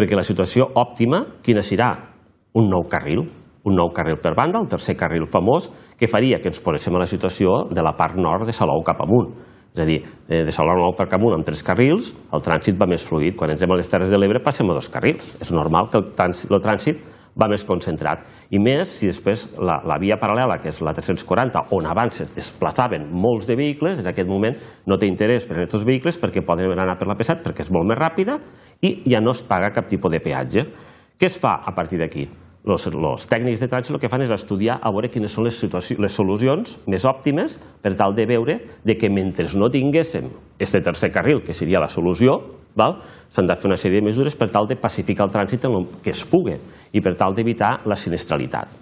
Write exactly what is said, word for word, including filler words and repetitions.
perquè la situació òptima, quina serà? Un nou carril, un nou carril per banda, el tercer carril famós, que faria que ens poséssim a la situació de la part nord de Salou cap amunt. És a dir, de Salou cap amunt amb tres carrils, el trànsit va més fluid. Quan ens anem a les Terres de l'Ebre passem a dos carrils. És normal que el trànsit va més concentrat. I més si després la via paral·lela, que és la tres-cents quaranta, on abans es desplaçaven molts de vehicles, en aquest moment no té interès per a aquests vehicles perquè poden anar per la P set perquè és molt més ràpida i ja no es paga cap tipus de peatge. Què es fa a partir d'aquí? Els tècnics de trànsit el que fan és estudiar a veure quines són les solucions més òptimes per tal de veure que mentre no tinguéssim aquest tercer carril, que seria la solució, s'han de fer una sèrie de mesures per tal de pacificar el trànsit en el que es pugui i per tal d'evitar la sinistralitat.